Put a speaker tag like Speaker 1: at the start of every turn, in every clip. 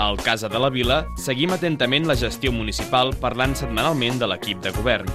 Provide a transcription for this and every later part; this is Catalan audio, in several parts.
Speaker 1: Al Casa de la Vila seguim atentament la gestió municipal parlant setmanalment de l'equip de govern.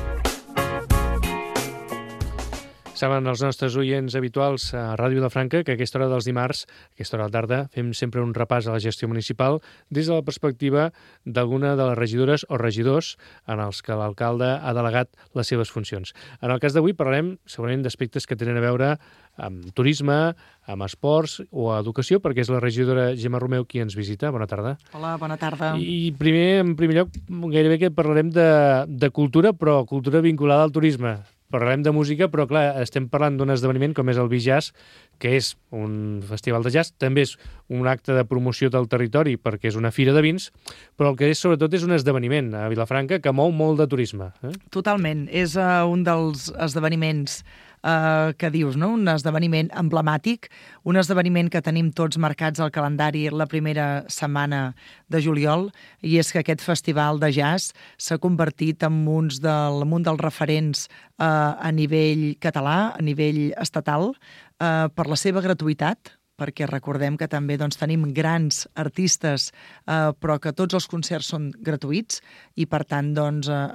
Speaker 2: Saben els nostres oients habituals a Ràdio Vilafranca que a aquesta hora dels dimarts, a aquesta hora de la tarda, fem sempre un repàs a la gestió municipal des de la perspectiva d'alguna de les regidores o regidors en els que l'alcalde ha delegat les seves funcions. En el cas d'avui parlarem segurament d'aspectes que tenen a veure amb turisme, amb esports o educació, perquè és la regidora Gemma Romeu qui ens visita. Bona tarda.
Speaker 3: Hola, bona tarda.
Speaker 2: I en primer lloc, gairebé que parlarem de cultura, però cultura vinculada al turisme. Parlarem de música, però clar, estem parlant d'un esdeveniment com és el Bijazz, que és un festival de jazz, també és un acte de promoció del territori perquè és una fira de vins, però el que és sobretot és un esdeveniment a Vilafranca que mou molt de turisme.
Speaker 3: Totalment, és un dels esdeveniments que dius, no? Un esdeveniment emblemàtic, un esdeveniment que tenim tots marcats al calendari la primera setmana de juliol, i és que aquest festival de jazz s'ha convertit en un dels referents a nivell català, a nivell estatal, per la seva gratuïtat, perquè recordem que també tenim grans artistes, però que tots els concerts són gratuïts, i per tant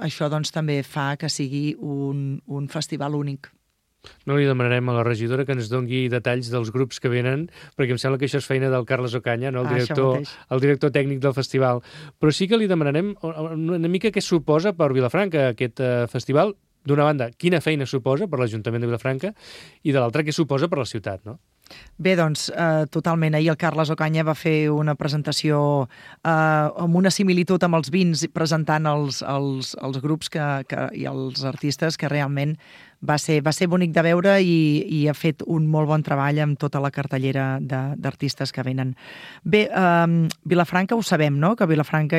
Speaker 3: això també fa que sigui un festival únic.
Speaker 2: No li demanarem a la regidora que ens doni detalls dels grups que venen, perquè em sembla que això és feina del Carles Ocaña, no? El director tècnic del festival. Però sí que li demanarem una mica què suposa per Vilafranca aquest festival. D'una banda, quina feina suposa per l'Ajuntament de Vilafranca, i de l'altra, què suposa per la ciutat, no?
Speaker 3: Bé, totalment. Ahir el Carles Ocaña va fer una presentació amb una similitud amb els vins, presentant els grups i els artistes, que realment va ser bonic de veure, i ha fet un molt bon treball amb tota la cartellera d'artistes que venen. Bé, Vilafranca ho sabem, no? Que Vilafranca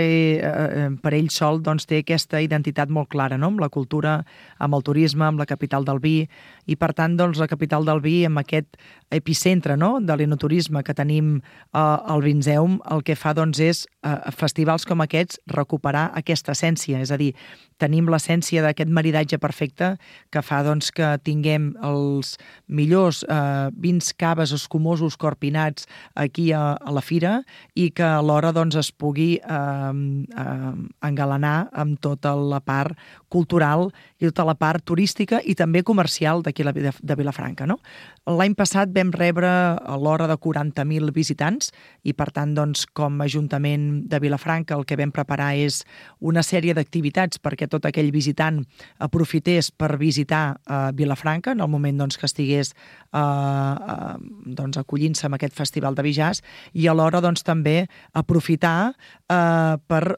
Speaker 3: per ell sol té aquesta identitat molt clara, no? Amb la cultura, amb el turisme, amb la capital del vi, i per tant la capital del vi, amb aquest epicentre, no? De l'enoturisme que tenim al Vinzeum, el que fa és festivals com aquests recuperar aquesta essència, és a dir, tenim l'essència d'aquest maridatge perfecte que fa que tinguem els millors vins, caves escumosos, corpinats aquí a la fira, i que alhora es pugui engalanar amb tota la part cultural i tota la part turística i també comercial d'aquí de Vilafranca, no? L'any passat vam rebre a l'hora de 40.000 visitants, i per tant, com a Ajuntament de Vilafranca, el que vam preparar és una sèrie d'activitats perquè tot aquell visitant aprofités per visitar Vilafranca en el moment que estigués acollint-se amb aquest festival de Bijazz, i alhora també aprofitar per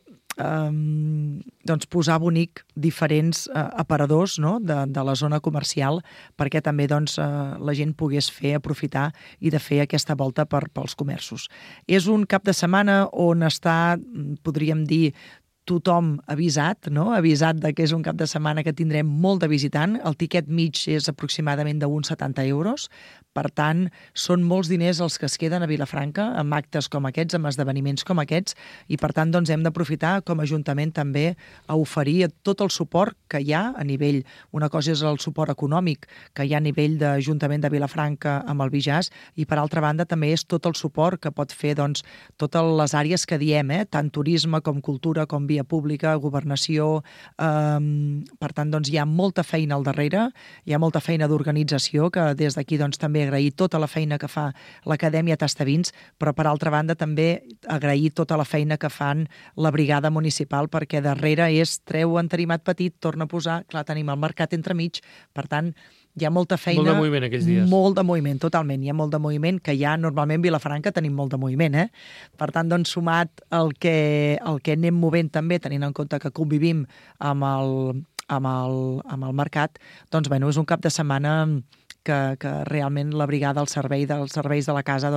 Speaker 3: posar bonic diferents aparadors, no? de la zona comercial, perquè també la gent pogués aprofitar i de fer aquesta volta pels comerços. És un cap de setmana on està, podríem dir, tothom avisat, no? Avisat que és un cap de setmana que tindrem molt de visitant. El tiquet mig és aproximadament d'uns 70 euros. Per tant, són molts diners els que es queden a Vilafranca amb actes com aquests, amb esdeveniments com aquests, i per tant hem d'aprofitar com a Ajuntament també a oferir tot el suport que hi ha a nivell, una cosa és el suport econòmic que hi ha a nivell d'Ajuntament de Vilafranca amb el Bijazz, i per altra banda també és tot el suport que pot fer totes les àrees que diem, tant turisme com cultura, com via pública, governació. Per tant, hi ha molta feina al darrere, hi ha molta feina d'organització, que des d'aquí també agrair tota la feina que fa l'Acadèmia Tastavins, però per altra banda també agrair tota la feina que fan la brigada municipal, perquè darrere treu entarimat petit, torna a posar, clar, tenim el mercat entremig, per tant, hi ha molta feina...
Speaker 2: Molt de moviment aquells dies.
Speaker 3: Molt de moviment, totalment. Hi ha molt de moviment, que ja normalment a Vilafranca tenim molt de moviment, Per tant, sumat el que anem movent també, tenint en compte que convivim amb el mercat, és un cap de setmana que realment la brigada, els serveis de la casa,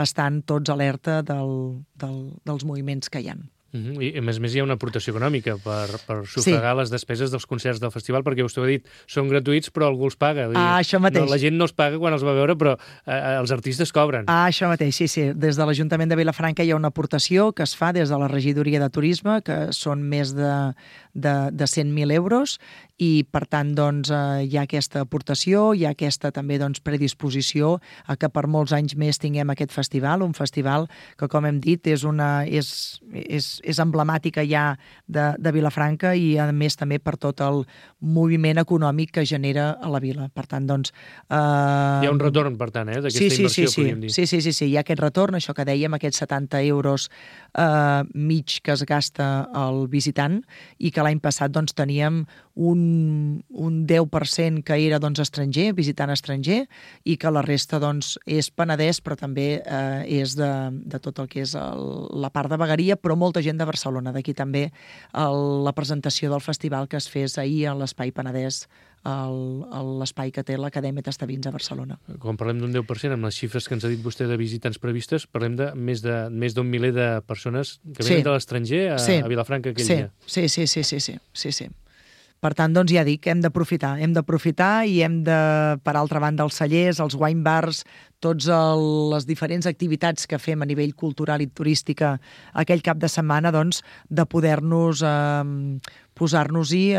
Speaker 3: estan tots alerta dels moviments que hi ha.
Speaker 2: I a més hi ha una aportació econòmica per sufragar les despeses dels concerts del festival, perquè vostè ho ha dit, són gratuïts però algú els paga.
Speaker 3: Això mateix.
Speaker 2: No, la gent no els paga quan els va veure, però els artistes cobren.
Speaker 3: Això mateix, sí. Des de l'Ajuntament de Vilafranca hi ha una aportació que es fa des de la Regidoria de Turisme, que són més de 100.000 euros, i per tant doncs, hi ha aquesta aportació, hi ha aquesta també doncs, predisposició a que per molts anys més tinguem aquest festival, un festival que, com hem dit, és emblemàtica ja de Vilafranca i a més també per tot el moviment econòmic que genera a la vila. Per tant, doncs...
Speaker 2: Hi ha un retorn, per tant, d'aquesta inversió, podríem dir.
Speaker 3: Sí, hi ha aquest retorn, això que dèiem, aquests 70 euros mig que es gasta el visitant, i que l'any passat doncs, teníem un 10% que era doncs, estranger, visitant estranger, i que la resta doncs, és Penedès, però també és de tot el que és la part de vegueria, però molta gent de Barcelona. D'aquí també la presentació del festival que es fes ahir a l'Espai Penedès, l'espai que té l'Acadèmia Tastavins a Barcelona.
Speaker 2: Quan parlem d'un 10%, amb les xifres que ens ha dit vostè de visitants previstes, parlem de més d'un miler de persones que venen de l'estranger a Vilafranca aquell dia.
Speaker 3: Sí. Per tant, doncs ja dic, hem d'aprofitar i hem de, per altra banda, els cellers, els wine bars, tots les diferents activitats que fem a nivell cultural i turística aquell cap de setmana, doncs, de poder-nos posar-nos-hi,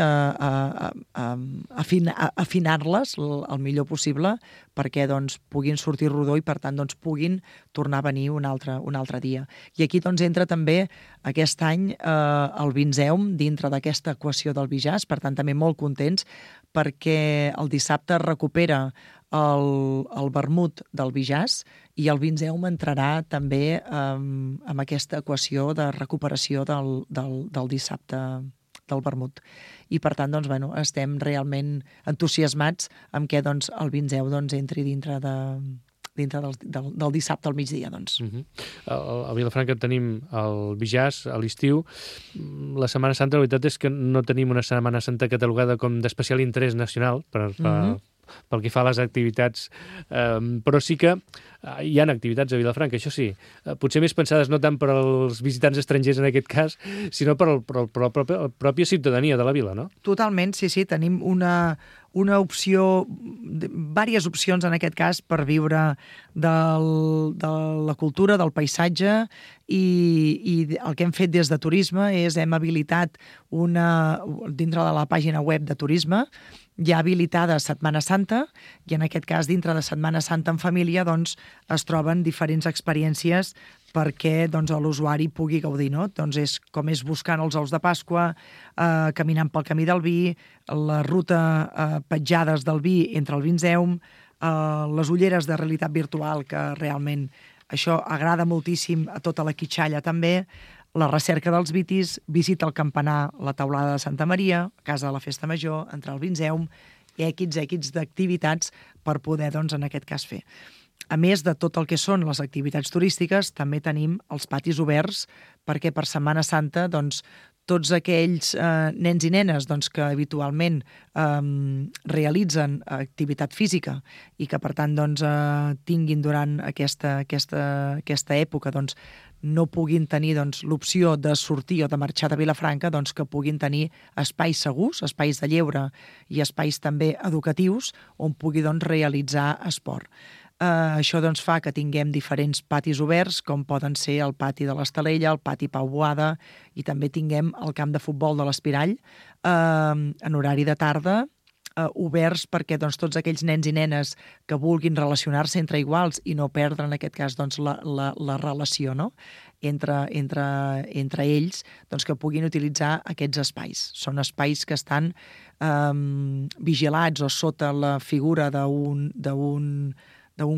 Speaker 3: afinar-les el millor possible perquè doncs, puguin sortir rodó i, per tant, doncs, puguin tornar a venir un altre dia. I aquí doncs, entra també aquest any el Vinzeum dintre d'aquesta equació del Bijàs, per tant, també molt contents perquè el dissabte es recupera el vermut del Bijàs i el Vinzeum entrarà també amb aquesta equació de recuperació del dissabte del vermut. I per tant, doncs, bueno, estem realment entusiasmats amb què doncs, el Vinzeu doncs, entri dintre del dissabte al migdia. Doncs.
Speaker 2: A Vilafranca tenim el Bijàs a l'estiu. La Setmana Santa, la veritat és que no tenim una Setmana Santa catalogada com d'especial interès nacional pel que fa a les activitats, però sí que hi ha activitats a Vilafranca, això sí, potser més pensades no tant per als visitants estrangers en aquest cas, sinó per la pròpia ciutadania de la vila, no?
Speaker 3: Totalment, sí, tenim una opció, diverses opcions en aquest cas per viure de la cultura, del paisatge, i el que hem fet des de turisme és hem habilitat dintre de la pàgina web de turisme, ja habilitada Setmana Santa, i en aquest cas dintre de Setmana Santa en família doncs, es troben diferents experiències perquè doncs, l'usuari pugui gaudir. No? Doncs com és buscant els ous de Pasqua, caminant pel camí del vi, la ruta petjades del vi entre el Vinzeum, les ulleres de realitat virtual, que realment això agrada moltíssim a tota la quitxalla també, la recerca dels vitis, visita al campanar, la taulada de Santa Maria, casa de la Festa Major, entrar al Vinzeum, i èquits d'activitats per poder, doncs, en aquest cas, fer. A més de tot el que són les activitats turístiques, també tenim els patis oberts, perquè per Setmana Santa, doncs, tots aquells nens i nenes doncs, que habitualment realitzen activitat física i que, per tant, doncs, tinguin durant aquesta època doncs, no puguin tenir doncs, l'opció de sortir o de marxar de Vilafranca, doncs, que puguin tenir espais segurs, espais de lleure i espais també educatius on pugui doncs, realitzar esport. Això doncs, fa que tinguem diferents patis oberts, com poden ser el pati de l'Estalella, el pati Pau Boada, i també tinguem el camp de futbol de l'Espirall en horari de tarda, oberts perquè doncs, tots aquells nens i nenes que vulguin relacionar-se entre iguals i no perdre, en aquest cas, doncs, la relació, no? entre ells, doncs, que puguin utilitzar aquests espais. Són espais que estan vigilats o sota la figura d'un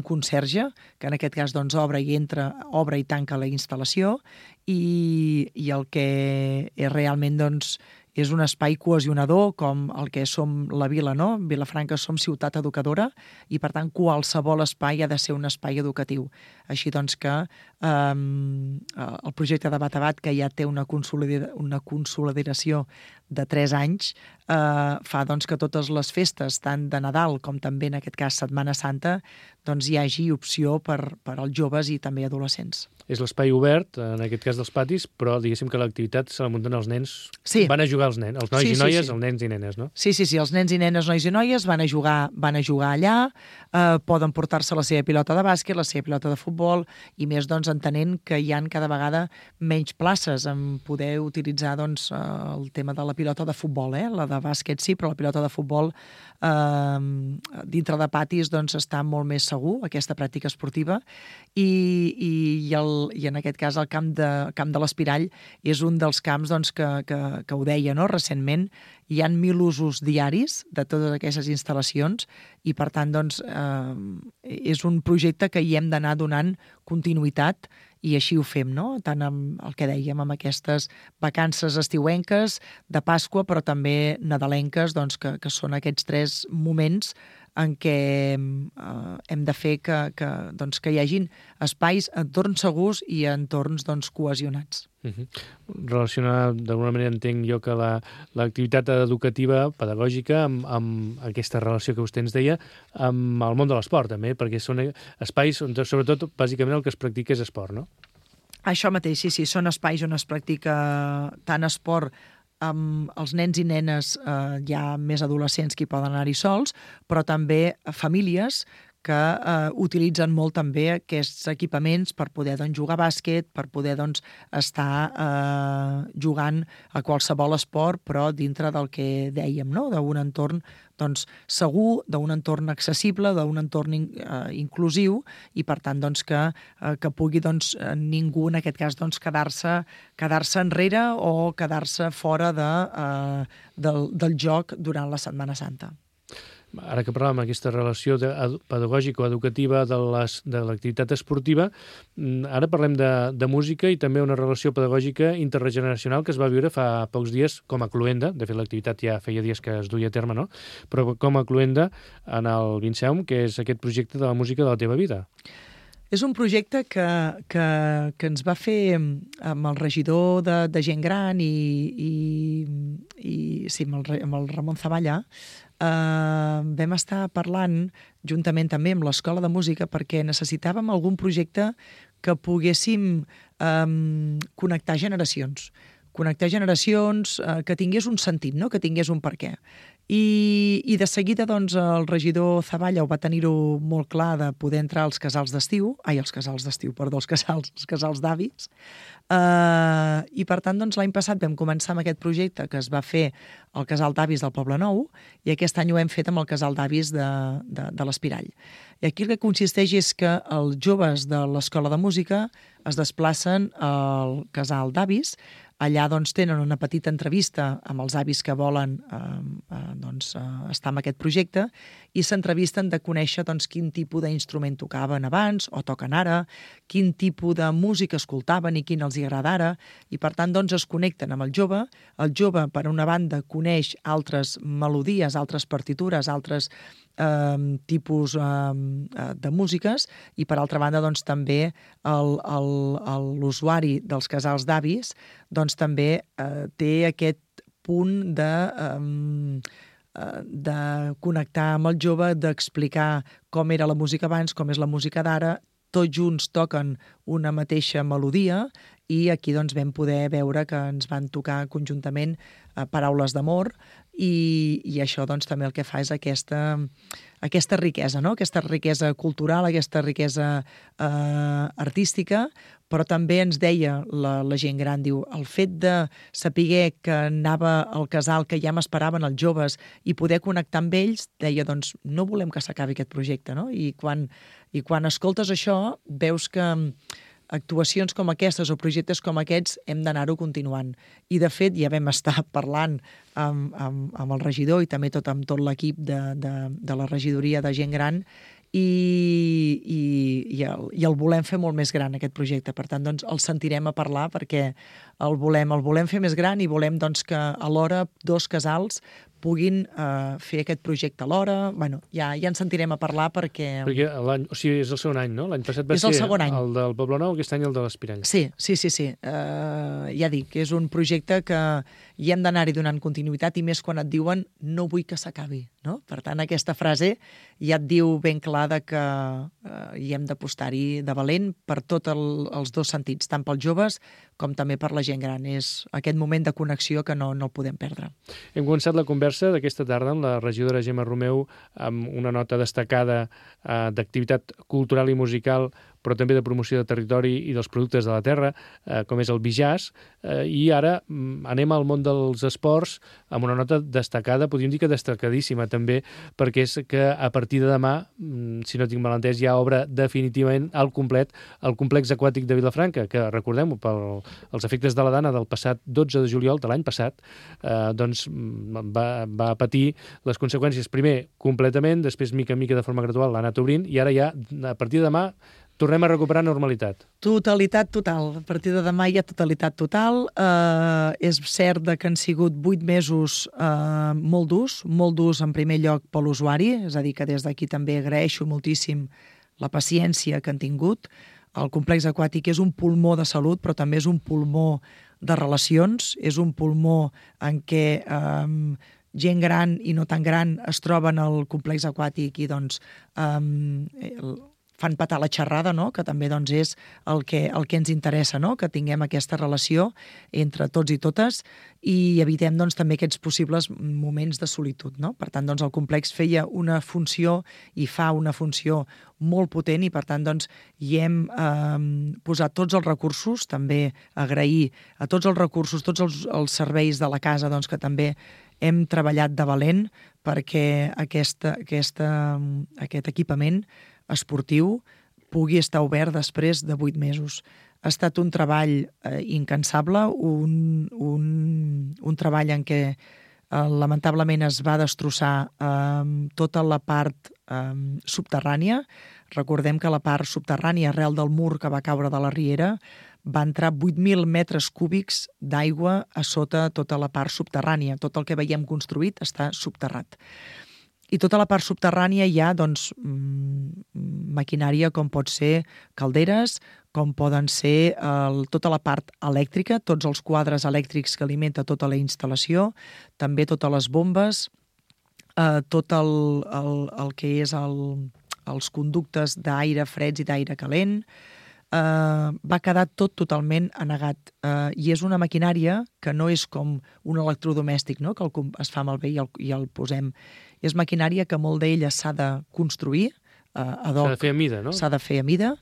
Speaker 3: conserge, que en aquest cas doncs, obre i tanca la instal·lació, i el que és realment doncs, és un espai cohesionador com el que som la vila, no? Vilafranca som ciutat educadora i, per tant, qualsevol espai ha de ser un espai educatiu. Així doncs que el projecte de Batabat, que ja té una consolidació de 3 anys, fa doncs, que totes les festes, tant de Nadal com també, en aquest cas, Setmana Santa, doncs, hi hagi opció per als joves i també adolescents.
Speaker 2: És l'espai obert, en aquest cas dels patis, però diguéssim que l'activitat se la munten els nens.
Speaker 3: Sí.
Speaker 2: Van a jugar els nens, els nois i noies, els nens i nenes, no?
Speaker 3: Sí, els nens i nenes, nois i noies van a jugar allà, poden portar-se la seva pilota de bàsquet, la seva pilota de futbol, i més doncs entenent que hi ha cada vegada menys places en poder utilitzar doncs, el tema de la pilota de futbol, la de bàsquet sí, però la pilota de futbol dintre de patis doncs, està molt més segur, aquesta pràctica esportiva, i en aquest cas el camp de l'Espirall és un dels camps doncs, que ho deia, no? Recentment hi han 1.000 usos diaris de totes aquestes instal·lacions i per tant doncs, és un projecte que hi hem d'anar donant continuïtat i així ho fem, no? Tant amb el que dèiem, amb aquestes vacances estiuenques de Pasqua, però també nadalenques, doncs, que són aquests 3 moments en què hem de fer que hi hagin espais, entorns segurs i entorns doncs, cohesionats.
Speaker 2: Relacionar, d'alguna manera entenc jo que l'activitat educativa, pedagògica, amb aquesta relació que vostè ens deia, amb el món de l'esport també, perquè són espais on sobretot, bàsicament, el que es practica és esport, no?
Speaker 3: Això mateix, sí, són espais on es practica tant esport amb els nens i nenes, hi ha més adolescents que hi poden anar-hi sols, però també famílies que utilitzen molt també aquests equipaments per poder doncs, jugar a bàsquet, per poder doncs, estar jugant a qualsevol esport, però dintre del que dèiem, no? D'un entorn doncs, segur, d'un entorn accessible, d'un entorn inclusiu i, per tant, doncs, que pugui doncs, ningú, en aquest cas, doncs, quedar-se enrere o quedar-se fora del joc durant la Setmana Santa.
Speaker 2: Ara que parlàvem d'aquesta relació pedagògica o educativa de l'activitat esportiva, ara parlem de música i també una relació pedagògica intergeneracional que es va viure fa pocs dies com a cluenda. De fet, l'activitat ja feia dies que es duia a terme, no? Però com a cluenda en el Vinceum, que és aquest projecte de la música de la teva vida.
Speaker 3: És un projecte que ens va fer amb el regidor de gent gran i sí, amb el Ramon Zavalla. Vam estar parlant juntament també amb l'Escola de Música perquè necessitàvem algun projecte que poguéssim connectar generacions, que tingués un sentit, no? Que tingués un perquè. I de seguida doncs, el regidor Zavalla ho va tenir-ho molt clar de poder entrar als casals d'estiu, els casals d'avis, i per tant doncs, l'any passat vam començar amb aquest projecte que es va fer al casal d'avis del Poble Nou i aquest any ho hem fet amb el casal d'avis de l'Espirall. I aquí el que consisteix és que els joves de l'Escola de Música es desplacen al casal d'avis. Allà doncs, tenen una petita entrevista amb els avis que volen estar en aquest projecte i s'entrevisten de conèixer doncs, quin tipus d'instrument tocaven abans o toquen ara, quin tipus de música escoltaven i quin els hi agrada ara, i per tant doncs, es connecten amb el jove. El jove, per una banda, coneix altres melodies, altres partitures, altres tipus de músiques i per altra banda doncs, també l'usuari dels casals d'avis doncs, també té aquest punt de connectar amb el jove, d'explicar com era la música abans, com és la música d'ara. Tots junts toquen una mateixa melodia i aquí doncs, vam poder veure que ens van tocar conjuntament paraules d'amor i això doncs, també el que fa és aquesta riquesa, no? Aquesta riquesa cultural, aquesta riquesa artística, però també ens deia la gent gran, diu, el fet de saber que anava al casal, que ja m'esperaven els joves i poder connectar amb ells, deia, doncs no volem que s'acabi aquest projecte, no? I quan escoltes això, veus que actuacions com aquestes o projectes com aquests hem d'anar-ho continuant. I, de fet, ja vam estar parlant amb el regidor i també amb tot l'equip de la regidoria de gent gran i el volem fer molt més gran, aquest projecte. Per tant, doncs, el sentirem a parlar perquè el volem fer més gran i volem doncs, que alhora dos casals puguin fer aquest projecte alhora. Bueno, ja en sentirem a parlar perquè...
Speaker 2: Perquè és el segon any, no? L'any passat va
Speaker 3: és
Speaker 2: ser
Speaker 3: el segon any.
Speaker 2: El del Poblenou, aquest any el de l'Espirall.
Speaker 3: Sí. Ja dic, és un projecte que hi hem d'anar-hi donant continuïtat i més quan et diuen no vull que s'acabi, no? Per tant, aquesta frase ja et diu ben clar que hi hem d'apostar-hi de valent per tots els dos sentits, tant pels joves com també per la gent gran. És aquest moment de connexió que no el podem perdre.
Speaker 2: Hem començat la conversa d'aquesta tarda amb la regidora Gemma Romeu amb una nota destacada d'activitat cultural i musical, però també de promoció de territori i dels productes de la terra, com és el Bijàs, i ara anem al món dels esports amb una nota destacada, podríem dir que destacadíssima també, perquè és que a partir de demà, si no tinc mal entès, ja obre definitivament al complet el complex aquàtic de Vilafranca, que recordem-ho, pels efectes de la Dana del passat 12 de juliol de l'any passat, doncs va patir les conseqüències, primer completament, després mica en mica de forma gradual l'ha anat obrint, i ara ja, a partir de demà, tornem a recuperar normalitat.
Speaker 3: Totalitat total. A partir de demà hi ha totalitat total. És cert que han sigut 8 mesos molt durs en primer lloc per l'usuari, és a dir, que des d'aquí també agraeixo moltíssim la paciència que han tingut. El complex aquàtic és un pulmó de salut, però també és un pulmó de relacions, és un pulmó en què gent gran i no tan gran es troben al complex aquàtic i doncs fan petar la xerrada, no? Que també doncs, és el que ens interessa, no? Que tinguem aquesta relació entre tots i totes i evitem doncs, també aquests possibles moments de solitud. No? Per tant, doncs, el complex feia una funció i fa una funció molt potent i, per tant, doncs, hi hem posat tots els recursos, també agrair a tots els recursos, tots els serveis de la casa doncs, que també hem treballat de valent perquè aquest equipament esportiu pugui estar obert després de 8 mesos. Ha estat un treball incansable, un treball en què lamentablement es va destrossar tota la part subterrània. Recordem que la part subterrània, arrel del mur que va caure de la riera, va entrar 8.000 metres cúbics d'aigua a sota tota la part subterrània. Tot el que veiem construït està subterrat. I tota la part subterrània hi ha doncs, maquinària com pot ser calderes, com poden ser tota la part elèctrica, tots els quadres elèctrics que alimenta tota la instal·lació, també totes les bombes, tot el que és els conductes d'aire freds i d'aire calent. Va quedar tot totalment anegat. I és una maquinària que no és com un electrodomèstic, no? Que es fa malbé i el posem. És maquinària que molt d'ella s'ha de construir ad hoc.
Speaker 2: S'ha de fer a mida, no?
Speaker 3: S'ha de fer a mida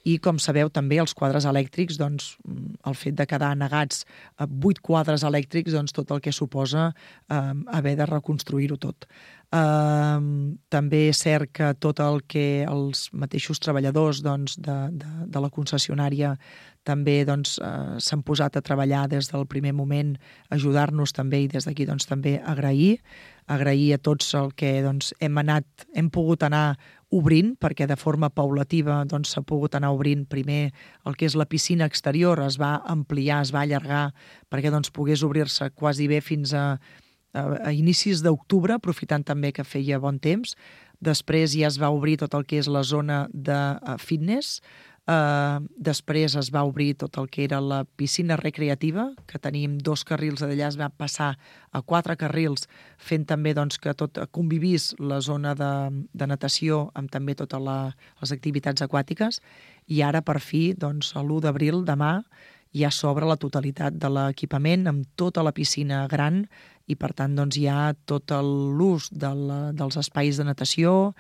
Speaker 3: i, com sabeu, també els quadres elèctrics, doncs, el fet de quedar anegats 8 quadres elèctrics, doncs, tot el que suposa haver de reconstruir-ho tot. També és cert que tot el que els mateixos treballadors doncs, de la concessionària també doncs, s'han posat a treballar des del primer moment, ajudar-nos també i des d'aquí doncs, també agrair a tots el que doncs, hem pogut anar obrint, perquè de forma paulativa doncs, s'ha pogut anar obrint primer el que és la piscina exterior, es va ampliar, es va allargar perquè doncs, pogués obrir-se quasi bé fins a inicis d'octubre, aprofitant també que feia bon temps. Després ja es va obrir tot el que és la zona de fitness. Després es va obrir tot el que era la piscina recreativa, que tenim 2 carrils d'allà, es va passar a 4 carrils, fent també doncs, que tot convivís la zona de natació amb també totes les activitats aquàtiques. I ara, per fi, doncs, l'1 d'abril, demà, ja s'obre la totalitat de l'equipament amb tota la piscina gran i, per tant, doncs, hi ha tot l'ús dels espais de natació,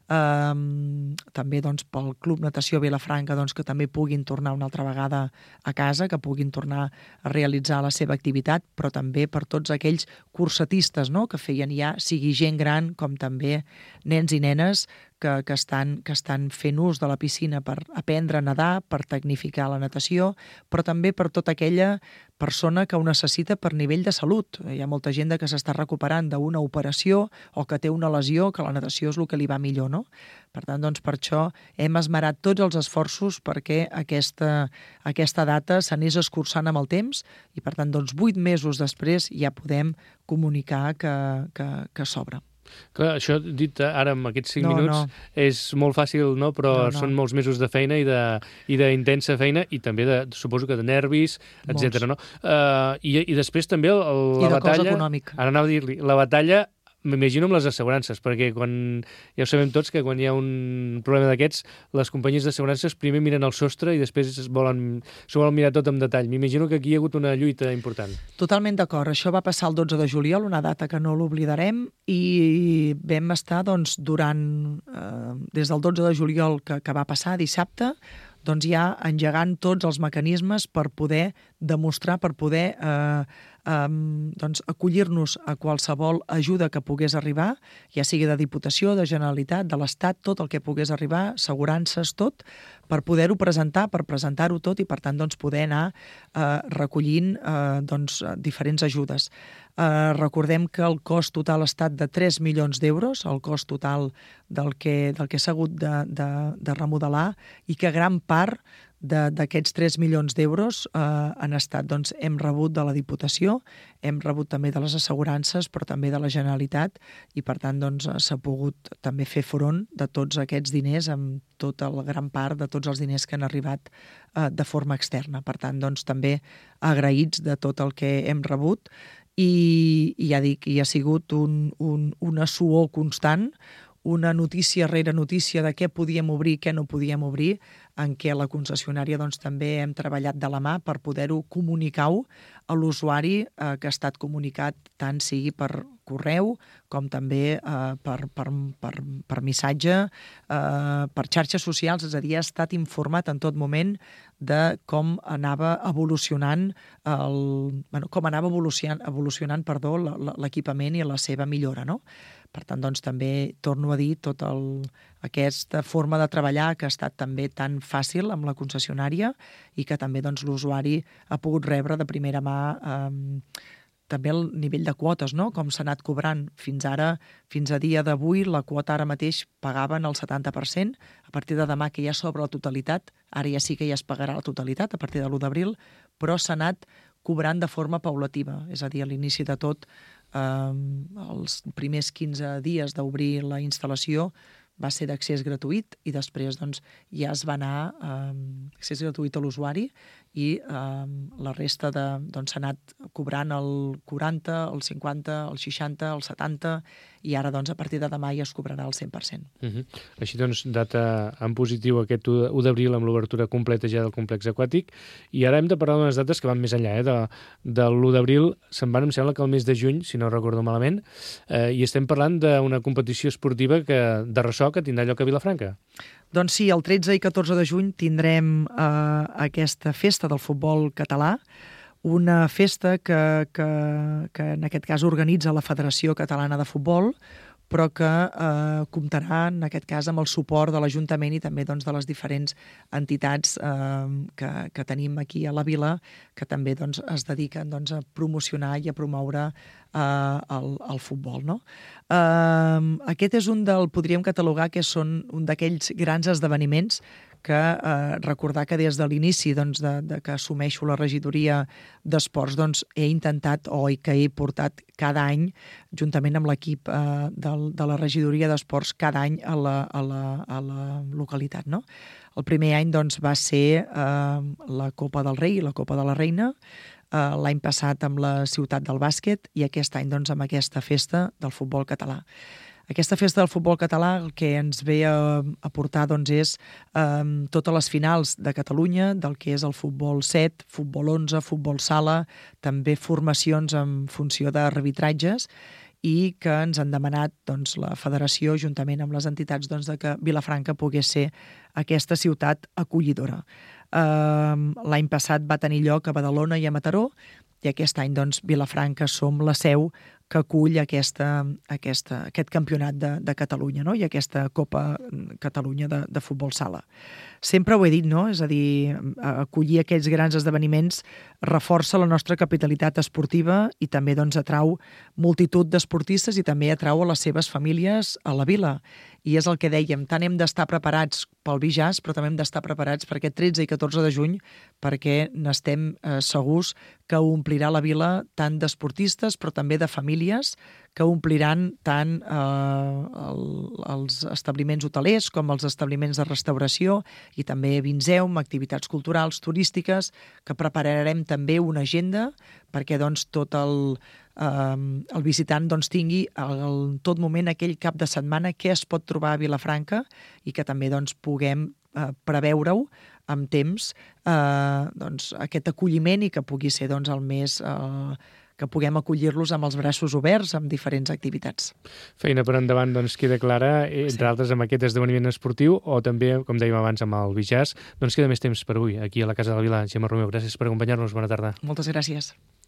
Speaker 3: també doncs, pel Club Natació Vilafranca doncs, que també puguin tornar una altra vegada a casa, que puguin tornar a realitzar la seva activitat, però també per tots aquells cursatistes, no?, que feien ja, sigui gent gran com també nens i nenes, que estan fent ús de la piscina per aprendre a nedar, per tecnificar la natació, però també per tota aquella persona que ho necessita per nivell de salut. Hi ha molta gent que s'està recuperant d'una operació o que té una lesió, que la natació és el que li va millor, no? Per tant, doncs, per això hem esmerat tots els esforços perquè aquesta data s'anés escurçant amb el temps i, per tant, doncs, 8 mesos després ja podem comunicar que s'obre.
Speaker 2: Clar, això dit ara en aquests 5 minuts és molt fàcil, no? Però són molts mesos de feina i d'intensa feina i també, suposo que de nervis, etc. No? I després també la batalla...
Speaker 3: I de cost econòmic.
Speaker 2: Ara anava a dir-li, la batalla m'imagino amb les assegurances, perquè ja ho sabem tots que quan hi ha un problema d'aquests, les companyies d'assegurances primer miren el sostre i després s'ho volen mirar tot en detall. M'imagino que aquí hi ha hagut una lluita important.
Speaker 3: Totalment d'acord. Això va passar el 12 de juliol, una data que no l'oblidarem, i vam estar doncs, des del 12 de juliol que va passar, dissabte, doncs ja engegant tots els mecanismes per poder demostrar, per poder acollir-nos a qualsevol ajuda que pogués arribar, ja sigui de Diputació, de Generalitat, de l'Estat, tot el que pogués arribar, assegurances, tot, per poder-ho presentar, per presentar-ho tot i, per tant, doncs, poder anar recollint diferents ajudes. Recordem que el cost total ha estat de 3 milions d'euros, el cost total del que s'ha hagut de remodelar, i que gran part d'aquests 3 milions d'euros han estat, doncs, hem rebut de la Diputació, hem rebut també de les assegurances, però també de la Generalitat, i per tant doncs, s'ha pogut també fer front de tots aquests diners, amb tota la gran part de tots els diners que han arribat de forma externa. Per tant, doncs, també agraïts de tot el que hem rebut, i ja dic, hi ha sigut una suor constant, una notícia rere notícia de què podíem obrir i què no podíem obrir, en què a la concessionària doncs, també hem treballat de la mà per poder-ho comunicar-ho a l'usuari, que ha estat comunicat tant sigui per correu com també per missatge, per xarxes socials, és a dir, ha estat informat en tot moment de com anava evolucionant l'equipament i la seva millora, no? Per tant, doncs, també torno a dir tota aquesta forma de treballar que ha estat també tan fàcil amb la concessionària i que també doncs, l'usuari ha pogut rebre de primera mà també el nivell de quotes, no? Com s'ha anat cobrant fins ara, fins a dia d'avui, la quota ara mateix pagaven el 70%, a partir de demà que ja s'obre la totalitat, ara ja sí que ja es pagarà la totalitat a partir de l'1 d'abril, però s'ha anat cobrant de forma paulativa, és a dir, a l'inici de tot, els primers 15 dies d'obrir la instal·lació va ser d'accés gratuït i després doncs, ja es va anar accés gratuït a l'usuari i la resta s'ha anat cobrant el 40, el 50, el 60, el 70 i ara doncs, a partir de demà ja es cobrarà el 100%.
Speaker 2: Així doncs, data en positiu aquest 1 d'abril amb l'obertura completa ja del complex aquàtic, i ara hem de parlar d'unes dates que van més enllà. De l'1 d'abril se'n van, em sembla que el mes de juny, si no recordo malament, i estem parlant d'una competició esportiva de ressò que tindrà lloc a Vilafranca.
Speaker 3: Doncs sí, el 13 i 14 de juny tindrem aquesta festa del futbol català, una festa que en aquest cas organitza la Federació Catalana de Futbol, però que comptarà en aquest cas amb el suport de l'Ajuntament i també doncs, de les diferents entitats que tenim aquí a la vila, que també doncs, es dediquen doncs, a promocionar i a promoure el futbol. No? Aquest és podríem catalogar que són un d'aquells grans esdeveniments que recordar que des de l'inici doncs, de que assumeixo la regidoria d'esports doncs, he intentat que he portat cada any, juntament amb l'equip de la regidoria d'esports, cada any a la localitat. No? El primer any doncs, va ser la Copa del Rei i la Copa de la Reina, l'any passat amb la Ciutat del Bàsquet i aquest any doncs, amb aquesta festa del futbol català. Aquesta festa del futbol català el que ens ve a portar doncs, és totes les finals de Catalunya, del que és el futbol 7, futbol 11, futbol sala, també formacions en funció d'arbitratges i que ens han demanat doncs, la federació, juntament amb les entitats, doncs, de que Vilafranca pogués ser aquesta ciutat acollidora. L'any passat va tenir lloc a Badalona i a Mataró, i aquest any, doncs, Vilafranca som la seu que acull aquest campionat de Catalunya, no? I aquesta Copa Catalunya de futbol sala. Sempre ho he dit, no? És a dir, acollir aquests grans esdeveniments reforça la nostra capitalitat esportiva i també, doncs, atrau multitud d'esportistes i també atrau a les seves famílies a la vila. I és el que dèiem, tant hem d'estar preparats pel Bijàs, però també hem d'estar preparats per aquest 13 i 14 de juny, perquè n'estem segurs que omplirà la vila tant d'esportistes, però també de famílies, que ompliran tant els establiments hotelers com els establiments de restauració i també Vinzeum, activitats culturals, turístiques, que prepararem també una agenda perquè, doncs, tot el visitant, doncs, tingui en tot moment aquell cap de setmana què es pot trobar a Vilafranca i que també, doncs, puguem preveure-ho amb temps, doncs, aquest acolliment i que pugui ser, doncs, el més que puguem acollir-los amb els braços oberts amb diferents activitats.
Speaker 2: Feina per endavant, doncs, queda clara, entre altres amb aquest esdeveniment esportiu o també, com dèiem abans, amb el Bijàs. Doncs queda més temps per avui, aquí a la Casa de la Vila. Gemma Romeu, gràcies per acompanyar-nos. Bona tarda.
Speaker 3: Moltes gràcies.